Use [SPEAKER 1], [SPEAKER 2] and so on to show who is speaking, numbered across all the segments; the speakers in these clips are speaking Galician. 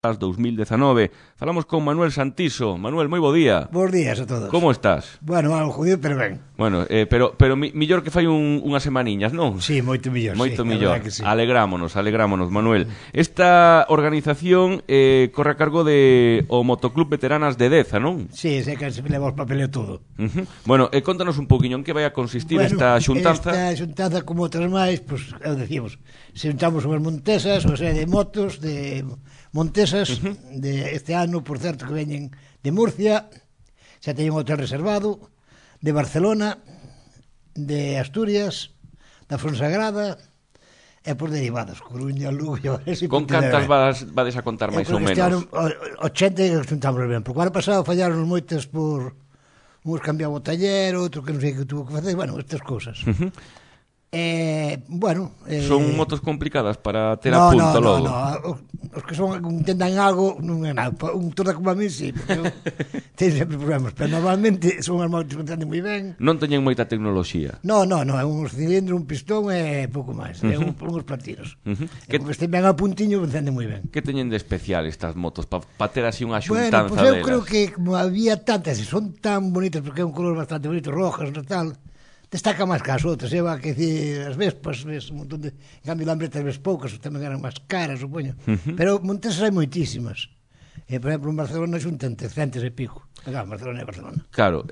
[SPEAKER 1] 2019. Falamos con Manuel Santiso. Manuel, moi bo día.
[SPEAKER 2] Bos días a todos.
[SPEAKER 1] Como estás?
[SPEAKER 2] Bueno, algo jodido, pero ben.
[SPEAKER 1] Bueno, pero millor que fai unhas semaniñas, non?
[SPEAKER 2] Sí, moito millor.
[SPEAKER 1] Moito
[SPEAKER 2] sí,
[SPEAKER 1] millor.
[SPEAKER 2] Sí.
[SPEAKER 1] Alegrámonos, Manuel. Esta organización corre a cargo de o Motoclub Veteranas de Deza, non?
[SPEAKER 2] Sí, sei que se leva os papeleo todo.
[SPEAKER 1] Bueno, contanos un poquinho en que vai a consistir esta xuntanza.
[SPEAKER 2] Esta xuntanza, como outras máis, pues, decíamos, se juntamos unhas montesas, ou sea, de motos, de montesas, de este ano, por certo, que veñen de Murcia, xa teñen un hotel reservado, de Barcelona, de Asturias, da Fonsagrada, e por derivados, Coruña, Lugo,
[SPEAKER 1] Con cantas vades a contar máis ou menos?
[SPEAKER 2] Este ano, 80 juntamos ben, porque o ano pasado fallaron moitas por uns cambiaba o taller, outro que non sei que tuvo que facer, bueno, estas cousas. Bueno,
[SPEAKER 1] son motos complicadas para ter a punto logo.
[SPEAKER 2] No, os que son intentan algo non é nada, un torda como a mí sí, porque ten sempre problemas, pero normalmente son as motos que entenden moi ben.
[SPEAKER 1] Non teñen moita tecnoloxía.
[SPEAKER 2] No, é uns cilindros, un pistón e pouco máis, é uns platinos. Que estén ben a puntiño, entenden moi ben.
[SPEAKER 1] Que teñen de especial estas motos para ter así unha xuntanza delas?
[SPEAKER 2] Bueno, eu creo que como había tantas e son tan bonitas, porque é un color bastante bonito, rojas, tal, destaca máis que as outras, que decir, as Vespas, ves un montón de... En cambio, Lambretas ves poucas, tamén eran máis caras, supoño. Pero montesas hai moitísimas. Por exemplo, en Barcelona xuntan 300 e pico. Barcelona é Barcelona.
[SPEAKER 1] Claro,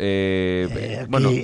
[SPEAKER 1] bueno...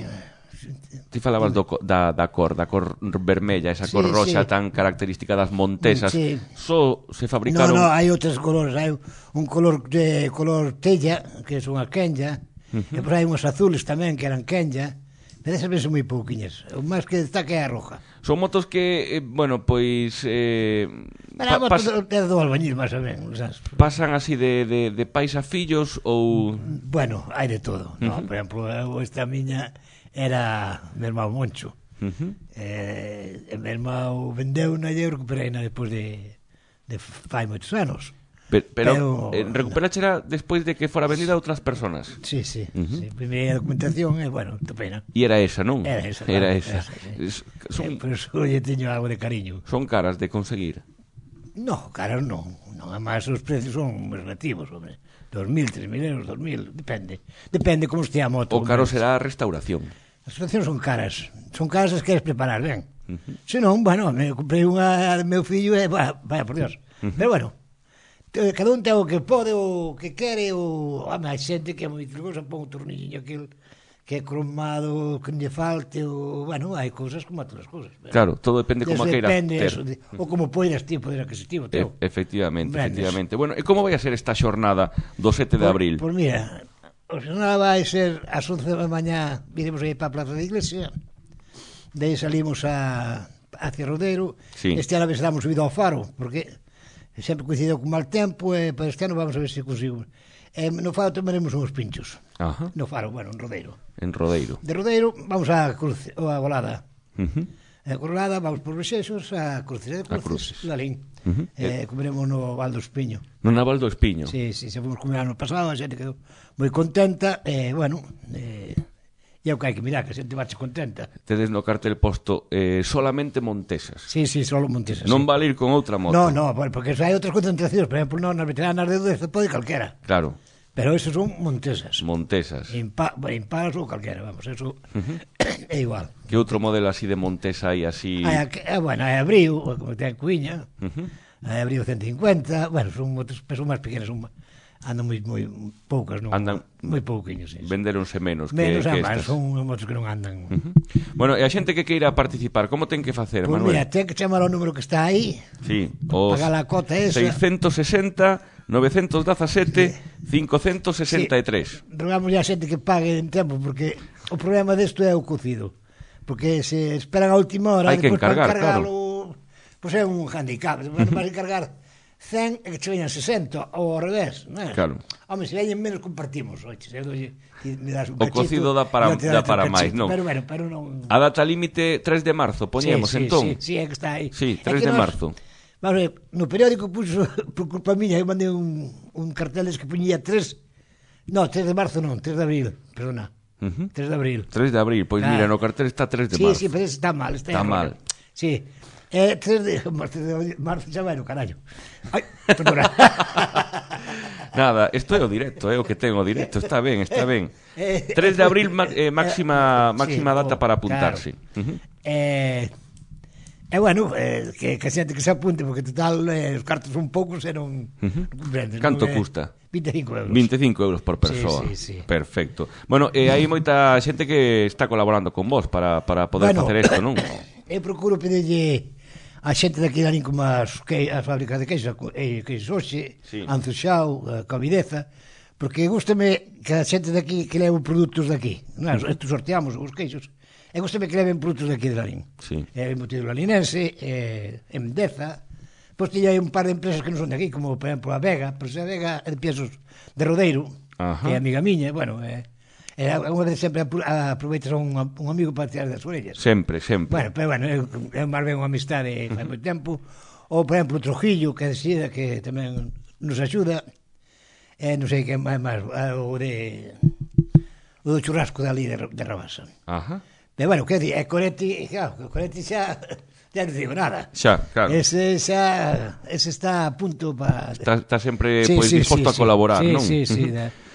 [SPEAKER 1] Ti falabas da cor vermella, esa cor roxa tan característica das montesas. Só se fabricaron...
[SPEAKER 2] No, hai outros colores, hai un color de color tella, que é unha quenya, e por hai unhas azules tamén, que eran quenya. Pero esas ves moi pouquiñas. O máis que destaca é a roja.
[SPEAKER 1] Son motos que, bueno, pois...
[SPEAKER 2] motos do albañil, máis ou menos.
[SPEAKER 1] Pasan así de pais a fillos ou...
[SPEAKER 2] Bueno, hai de todo. Por exemplo, esta miña era meu irmão Moncho. Meu irmão vendeu na e eu recuperei despois de fai moitos anos.
[SPEAKER 1] Pero recuperachera despois de que fora vendida a outras persoas.
[SPEAKER 2] Sí. Primeira documentación é, bueno, pena.
[SPEAKER 1] E era esa, non?
[SPEAKER 2] Era esa. Por eso lle teño algo de cariño.
[SPEAKER 1] Son caras de conseguir?
[SPEAKER 2] No, caras non. Además, os precios son relativos, hombre. 2.000, 3.000 euros, 2.000, depende. Depende como estea a moto.
[SPEAKER 1] O caro será a restauración.
[SPEAKER 2] As restauracións son caras. Son caras as queres preparar, ben. Se non, bueno, me comprei unha do meu fillo e, vaya por Dios. Pero bueno, cada un ten o que pode, o que quere, hai xente que é moi trigosa, pon un tornillo aquel que é cromado, que lle falte, bueno, hai cousas como a todas as cousas.
[SPEAKER 1] Claro, todo depende como a queira ter.
[SPEAKER 2] Ou como poidas ti, poder adquisitivo teu.
[SPEAKER 1] Efectivamente. Bueno, e como vai a ser esta xornada do 7 de abril?
[SPEAKER 2] Pois mira, a xornada vai ser ás 11 da mañá, viremos aí para a Plaza da Iglesia, de aí salimos hacia Rodeiro. Este ano damos subido ao Faro, porque sempre coincidiu con mal tempo, e para este ano vamos a ver se consigo. No Faro tomaremos uns pinchos. No Faro, bueno, en Rodeiro.
[SPEAKER 1] En Rodeiro.
[SPEAKER 2] De Rodeiro vamos a Golada. A Golada vamos por Rexeixos a Cruces. De Cruces, Lalín. Comeremos no Val do Espiño.
[SPEAKER 1] No Naval do Espiño?
[SPEAKER 2] Sí, se fomos comer ano pasado, a xente quedou moi contenta, bueno... E é o que hai que mirar, que a xente vache contenta.
[SPEAKER 1] Tedes no cartel posto solamente montesas.
[SPEAKER 2] Sí, solo montesas.
[SPEAKER 1] Non vale ir con outra moto.
[SPEAKER 2] No, porque hai outras concentracións. Por exemplo, nas veteranas de Deza pode calquera.
[SPEAKER 1] Claro.
[SPEAKER 2] Pero esos son montesas. Impares ou calquera, vamos, eso é igual.
[SPEAKER 1] Que outro modelo así de montesa hai así?
[SPEAKER 2] Bueno, hai Abril, como ten Cuiña, hai Abril 150, bueno, son motos máis pequenas, andan moi poucas, non?
[SPEAKER 1] Andan
[SPEAKER 2] moi pouquiños, sí.
[SPEAKER 1] Venderonse menos que
[SPEAKER 2] estas. Son motos que non andan.
[SPEAKER 1] Bueno, e a xente que queira participar, como ten que facer,
[SPEAKER 2] Manuel?
[SPEAKER 1] Pues
[SPEAKER 2] mira, ten que chamar ao número que está aí.
[SPEAKER 1] Sí,
[SPEAKER 2] pagar a cota esa.
[SPEAKER 1] 660 917 563.
[SPEAKER 2] Rogamos a xente que pague en tempo, porque o problema desto é o cocido. Porque se esperan a última hora,
[SPEAKER 1] hai que encargar,
[SPEAKER 2] claro. Pois é un handicap, vas a encargar 100 e que che veñan 60 ou ao revés, non é?
[SPEAKER 1] Claro.
[SPEAKER 2] Home, se veñen menos compartimos, oxe, me das un
[SPEAKER 1] cachito. O cocido dá para máis, non?
[SPEAKER 2] Pero non.
[SPEAKER 1] A data límite 3 de marzo, poñemos entón.
[SPEAKER 2] Sí, é que está aí.
[SPEAKER 1] Sí, 3 de marzo.
[SPEAKER 2] Vamos ver, no periódico puxo, por culpa miña, eu mandei un cartel que puñía 3 de marzo non, 3 de abril, perdona. 3 de abril.
[SPEAKER 1] 3 de abril, pois mira, no cartel está 3 de marzo.
[SPEAKER 2] Sí, pero está mal.
[SPEAKER 1] Está mal.
[SPEAKER 2] Sí. Marzo xa vai no carallo. Ai, perdona.
[SPEAKER 1] Nada, isto é o directo, é o que ten o directo, está ben, está ben. 3 de abril, máxima data para apuntarse.
[SPEAKER 2] Bueno, que a xente que se apunte, porque total, os cartos son poucos e non comprendes.
[SPEAKER 1] Canto custa?
[SPEAKER 2] 25 euros.
[SPEAKER 1] 25 euros por persoa.
[SPEAKER 2] Sí.
[SPEAKER 1] Perfecto. Bueno, hai moita xente que está colaborando con vos para poder facer isto, non?
[SPEAKER 2] Eu procuro pedirlle a xente daqui de Lalín como as fábricas de queixos, queixos Oxe, Anzuxao, Covideza, porque gústame que a xente daqui que leve produtos daqui. Estos sorteamos os queixos. E gústame que leven produtos daqui de Lalín. Embutido lalinense, Endeza. Pois tiña un par de empresas que non son de aquí, como, por exemplo, a Vega. Pero a Vega é de piezos de Rodeiro, que é amiga miña, bueno, unha vez sempre aproveitas a un amigo para tirar das orellas.
[SPEAKER 1] Sempre.
[SPEAKER 2] Bueno, pero é máis ben unha amistade fai moito tempo. Ou, por exemplo, o Trujillo, que é de Sida, que tamén nos axuda. Non sei que máis, o do churrasco dali de Rabasa. Pero, bueno, que é Coretti, claro, Coretti xa non digo nada.
[SPEAKER 1] Xa, claro.
[SPEAKER 2] Ese está a punto para...
[SPEAKER 1] Está sempre disposto a colaborar, non?
[SPEAKER 2] Sí.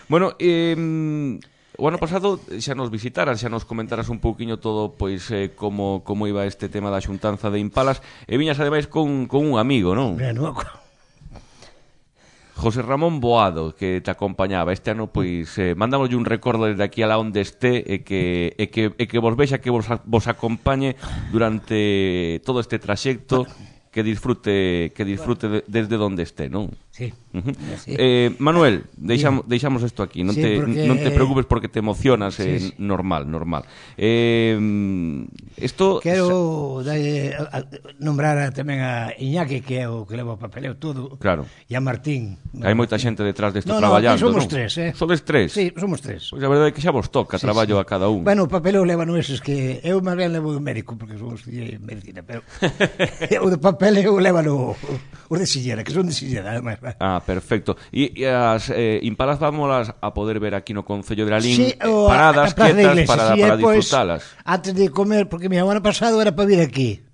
[SPEAKER 1] Bueno, o ano pasado xa nos visitaras, xa nos comentaras un pouquiño todo, pois, como iba este tema da xuntanza de Impalas, e viñas ademais con un amigo, non? José Ramón Boado, que te acompañaba este ano, pois, mandámoslle un recordo desde aquí a la onde este e que vos vexa, que vos acompañe durante todo este traxecto, que disfrute desde donde esté, non?
[SPEAKER 2] Sí.
[SPEAKER 1] Manuel, deixamos isto aquí, non te preocupes porque te emocionas, normal.
[SPEAKER 2] Quero nombrar tamén a Iñaki, que é o que leva o papeleo todo.
[SPEAKER 1] Claro.
[SPEAKER 2] E a Martín.
[SPEAKER 1] Hai moita xente detrás desto traballando, non?
[SPEAKER 2] Somos tres,
[SPEAKER 1] Sodes tres?
[SPEAKER 2] Sí, somos tres.
[SPEAKER 1] Pois a verdade é que xa vos toca traballo a cada un.
[SPEAKER 2] Bueno, o papeleo levan eses que eu máis ben levo o médico, porque somos de medicina, pero o de papeleo levan os de Sillera, que son de Sillera, además.
[SPEAKER 1] Perfecto. E as Impalas vámolas a poder ver aquí no Concello de Lalín, paradas, quietas, para disfrutalas.
[SPEAKER 2] Antes de comer, porque o ano pasado era para vir aquí,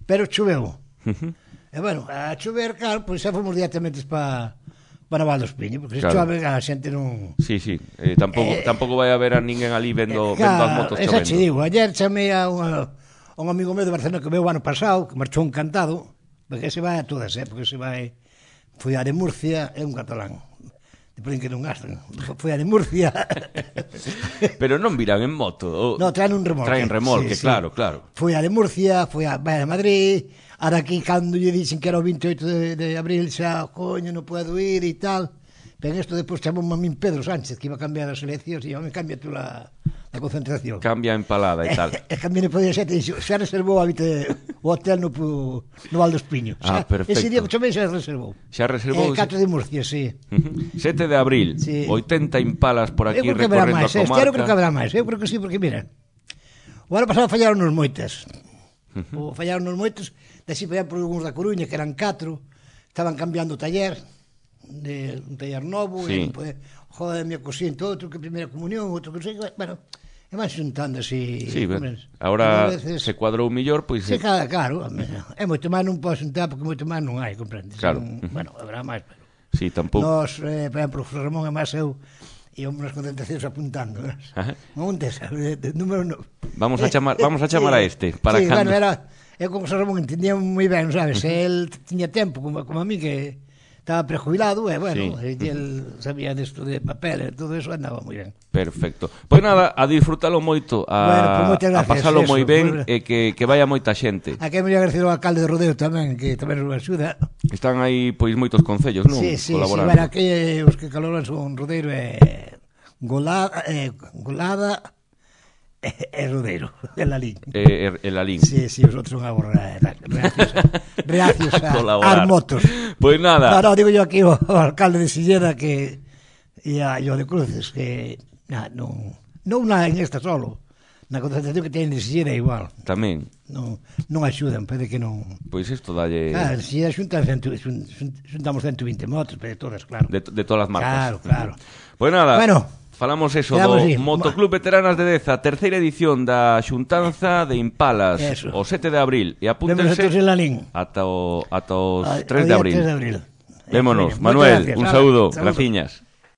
[SPEAKER 2] pero choveu. E bueno, a chover, claro, pois xa fomos directamente para Naval dos Piños, porque se chove a xente non...
[SPEAKER 1] Sí, tampouco vai haber a ninguén ali vendo as motos chovendo.
[SPEAKER 2] Esa che digo, ayer chamei a un amigo meu de Barcelona que veu o ano pasado, que marchou encantado, porque se vai a todas, porque se vai... Foi a de Murcia, é un catalán. Depois que non gastan. Foi a de Murcia.
[SPEAKER 1] Pero non virán en moto.
[SPEAKER 2] No, traen un remolque.
[SPEAKER 1] Traen remolque, claro.
[SPEAKER 2] Foi a de Murcia, foi a de Madrid, a daqui cando lle dixen que era o 28 de abril, xa, coño, non podo ir e tal. Pero isto depois chamou a min Pedro Sánchez, que iba a cambiar as eleccións, e me cambia tú la concentración.
[SPEAKER 1] Cambia empalada e tal.
[SPEAKER 2] E cambia no podía xente, xa reservou o hotel no Val dos Piños.
[SPEAKER 1] Perfecto.
[SPEAKER 2] Ese día que chamei xa reservou.
[SPEAKER 1] Xa reservou?
[SPEAKER 2] 4 de Murcia, sí.
[SPEAKER 1] 7 de abril, 80 Impalas por aquí recorrendo a comarca.
[SPEAKER 2] Eu creo que habrá máis, eu creo que sí, porque mira, o ano pasado fallaron nos moitas. Desí, por exemplo, uns da Coruña, que eran 4, estaban cambiando o taller, un taller novo, joder, mi cosín, outro que primeira comunión, outro que sei, bueno, e van xuntando así.
[SPEAKER 1] Sí, agora se cuadrou mellor, pois...
[SPEAKER 2] Sí, claro, é moito máis non podo xuntar, porque moito máis non hai, comprendes?
[SPEAKER 1] Claro.
[SPEAKER 2] Bueno, habrá máis, pero...
[SPEAKER 1] Sí, tampouco.
[SPEAKER 2] Nos, por exemplo, José Ramón e máis eu, íamos nas concentracións apuntando, non te sabe, número 9.
[SPEAKER 1] Vamos a chamar a este, para
[SPEAKER 2] sí,
[SPEAKER 1] cando...
[SPEAKER 2] Sí, bueno, eu con José Ramón entendía moi ben, sabes, el tiña tempo, como a mí, que estaba prejubilado, e bueno, el sabía desto de papel e todo eso, andaba moi ben.
[SPEAKER 1] Perfecto. Pois nada, a disfrutalo moito, a pasalo moi ben, e que vaya moita xente.
[SPEAKER 2] Aquí me voy a agradecer ao alcalde de Rodeo tamén, que tamén nos axuda.
[SPEAKER 1] Están aí, pois, moitos concellos, non?
[SPEAKER 2] Sí, bueno, aquí os que colaboran son Rodeiro e Golada e Rodeiro, e Lalín.
[SPEAKER 1] E Lalín.
[SPEAKER 2] Sí, os outros son reacios a motos.
[SPEAKER 1] Pois nada.
[SPEAKER 2] No, digo yo aquí o alcalde de Silleda que e a yo de Cruces, que non en esta solo. Na concentración que teñen de Sillera igual.
[SPEAKER 1] Tamén.
[SPEAKER 2] Non axudan, pede que non...
[SPEAKER 1] Pois isto dalle...
[SPEAKER 2] Claro, Sillera xuntamos 120 motos, pero todas, claro.
[SPEAKER 1] De todas as marcas.
[SPEAKER 2] Claro.
[SPEAKER 1] Pois nada,
[SPEAKER 2] bueno,
[SPEAKER 1] falamos eso do Motoclub Veteranas de Deza, terceira edición da xuntanza de Impalas,
[SPEAKER 2] eso.
[SPEAKER 1] o 7 de abril. E apúntense ata os 3 de abril.
[SPEAKER 2] Vémonos,
[SPEAKER 1] Manuel, un saúdo, graciñas.